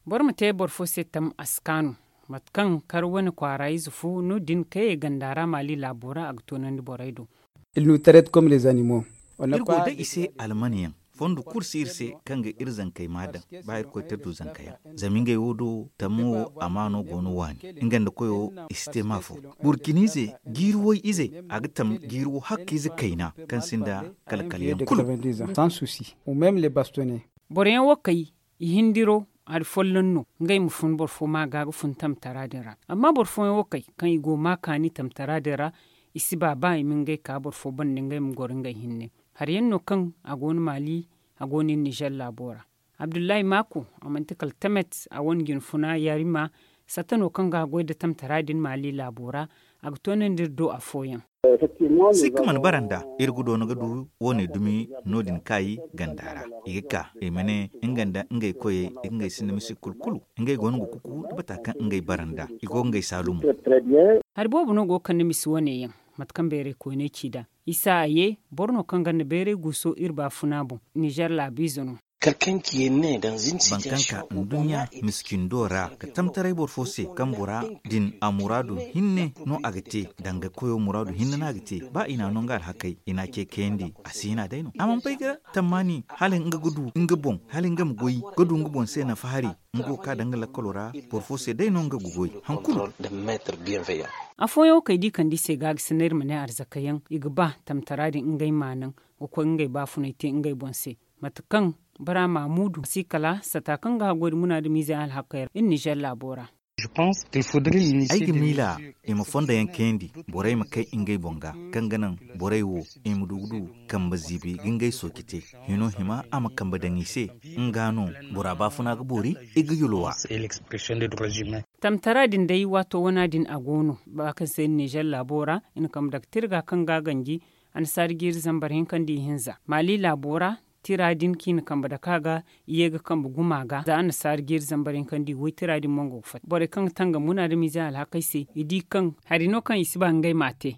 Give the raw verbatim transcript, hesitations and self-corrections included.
Boro ma te boro fo se tam a si kaanu. Mate kaŋ kar wane kwaara ize fo no- din kayey ganda ra maali laabo ra a ga toonandi borey do. Ils nous traitent comme les animaux. Iri go day i se alman yaŋ. Fondo kulu si iri se kaŋ ga iri zankey maa daŋ. Ba irkoy te du zanka yaŋ. Zama ngey wo do tammo wo amaano go no waani. Nga nda koyo i si te maa fo. Burkiniize jiiri way ize a ga tam jiiri wo hakka ize kayna kaŋ sinda kala kala yaŋ kulu. Boro yaŋ wo kay i hindiro hari folloŋ no ngey ma fun boro fo ma ga ga fun tamtara din ra. Amma boro fooyaŋ wo kay kaŋ i go ma kaani tamtara din ra, i si ba ba i ma ngey ka boro fo banda ngey ma goro ngey hinne. Hari yaŋ no kaŋ a go no maali, a go no iri nizer laabo ra. Abdullahi maako, a manti kala tamet a wane jinfuna yarima. Satta no kaŋ ga a goy nda tamtara din maali laabo ra. A ga toonandi iri do afooyaŋ. Sikka mana bara nda iri ga doona ga du wo- ne dumi no- din kaayi ganda ra. I ga ka i ma ne nga nda ngey koyey i ga ngey sinda misi kulu kulu. Ngey go no ga kuku da bata kaŋ ngey bara nda i go ga ngey saalumo. Hari boobo no go ga kande misi wane yaŋ. Mate kaŋ bayray koyney ci nd'a isa a ye boro no kaŋ ganda bayray guuso iri baafuna boŋ. Nizer laabiize no. Boro kaŋ ka nduɲɲa miskindo ra ga tamtaray boro fo se kaŋ bora din a muraadu hinne no a ga te. Danga koyo muraadu hinne no a ga te. Ba i n'a no nga alhakey i n'a ce kayandi a si hina day no a mana bay ga tammaani hala nga ga du nga boŋ hala nga ma goy ga du nga boŋ se nafa hari. Nga wo ka danga lakkalo ra boro fo se day no nga ga goy. Hankulu. Afooyaŋ wo kay da i kande i se ga ga sinay iri ma ne arzaka yaŋ i ga ba tamtara din ngey ma naŋ ga koy ngey baafunay te ngey boŋ se. Mate kaŋ bara maamudu a si kala sata kaŋ ga haggoy nda munaadamiizey alhakey ra iri nizer laabo ra. Ay ga miila i ma fondo yaŋ kayandi borey ma kay ngey boŋ ga kaŋ ga naŋ borey wo i ma du ga du kambe ziibi ga ngey sooci te. Hino hima a ma kambe daŋ i se nga no bora baafuna ga boori i ga yulwa. Tamtara din day waato wana din a go no ba kaŋ se iri nizer laabo ra i na kambe daga tirga kaŋ ga a ganji. Annasaari jiiri zambar hinka nda ihinza maali laabo ra tira din kaŋ i na kambe dake a ga i ye ga kambe guma ga za annasaari jiiri zambar hinka nda iway tira din mo nga ga fatta borey kaŋ ga tangam munaadamiizey alhakey se i di kaŋ hari no kaŋ i si ba ngey m'a te.